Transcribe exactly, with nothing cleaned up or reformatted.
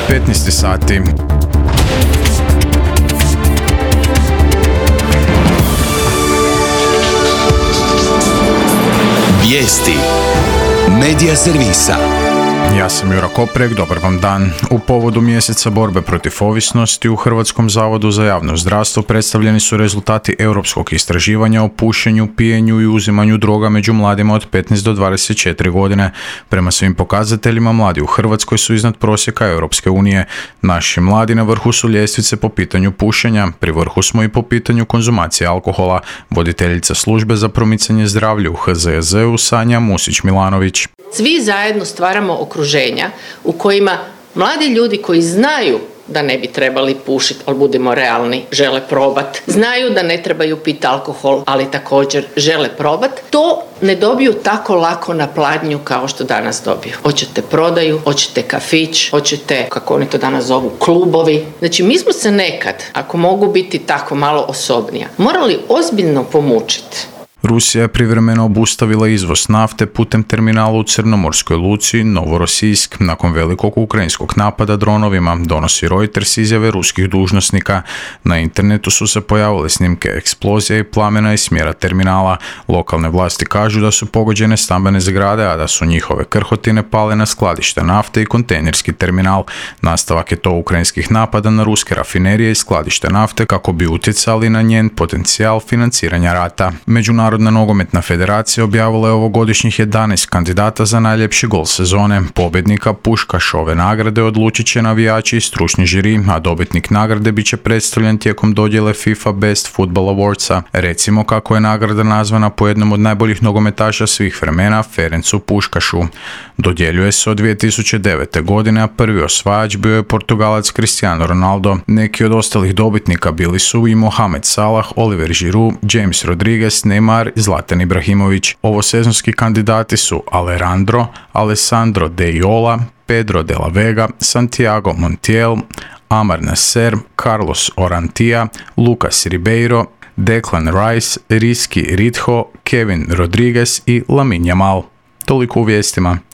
petnaest sati. Vijesti Medija servisa. Ja sam Jura Koprek, dobar vam dan. U povodu mjeseca borbe protiv ovisnosti u Hrvatskom zavodu za javno zdravstvo predstavljeni su rezultati europskog istraživanja o pušenju, pijenju i uzimanju droga među mladima od petnaest do dvadeset četiri godine. Prema svim pokazateljima, mladi u Hrvatskoj su iznad prosjeka Europske unije. Naši mladi na vrhu su ljestvice po pitanju pušenja, pri vrhu smo i po pitanju konzumacije alkohola. Voditeljica službe za promicanje zdravlja u H Z Z U Sanja Musić-Milanović. Svi zajedno stvaramo okruženja u kojima mladi ljudi koji znaju da ne bi trebali pušiti, ali budemo realni, žele probat. Znaju da ne trebaju piti alkohol, ali također žele probat. To ne dobiju tako lako na pladnju kao što danas dobiju. Hoćete prodaju, hoćete kafić, hoćete, kako oni to danas zovu, klubovi. Znači, mi smo se nekad, ako mogu biti tako malo osobnija, morali ozbiljno pomučiti. Rusija je privremeno obustavila izvoz nafte putem terminala u Crnomorskoj luci Novorosijsk nakon velikog ukrajinskog napada dronovima, donosi Reuters izjave ruskih dužnosnika. Na internetu su se pojavile snimke eksplozija i plamena iz smjera terminala. Lokalne vlasti kažu da su pogođene stambene zgrade, a da su njihove krhotine pale na skladište nafte i kontejnerski terminal. Nastavak je to ukrajinskih napada na ruske rafinerije i skladište nafte kako bi utjecali na njen potencijal financiranja rata. Međunarodna Narodna nogometna federacija objavila je ovogodišnjih jedanaest kandidata za najljepši gol sezone. Pobjednika Puškašove nagrade odlučit će navijači i stručni žiri, a dobitnik nagrade bit će predstavljen tijekom dodjele FIFA Best Football Awardsa. Recimo kako je nagrada nazvana po jednom od najboljih nogometaša svih vremena, Ferencu Puškašu. Dodjeljuje se od dvije tisuće devete. godine, a prvi osvajač bio je Portugalac Cristiano Ronaldo. Neki od ostalih dobitnika bili su i Mohamed Salah, Oliver Giroud, James Rodriguez, Neymar i Zlatan Ibrahimović. Ovosezonski kandidati su Alejandro, Alessandro De Iola, Pedro de la Vega, Santiago Montiel, Amar Nasser, Carlos Orantija, Lucas Ribeiro, Declan Rice, Rizky Ridho, Kevin Rodriguez i Lamine Yamal. Toliko u vijestima.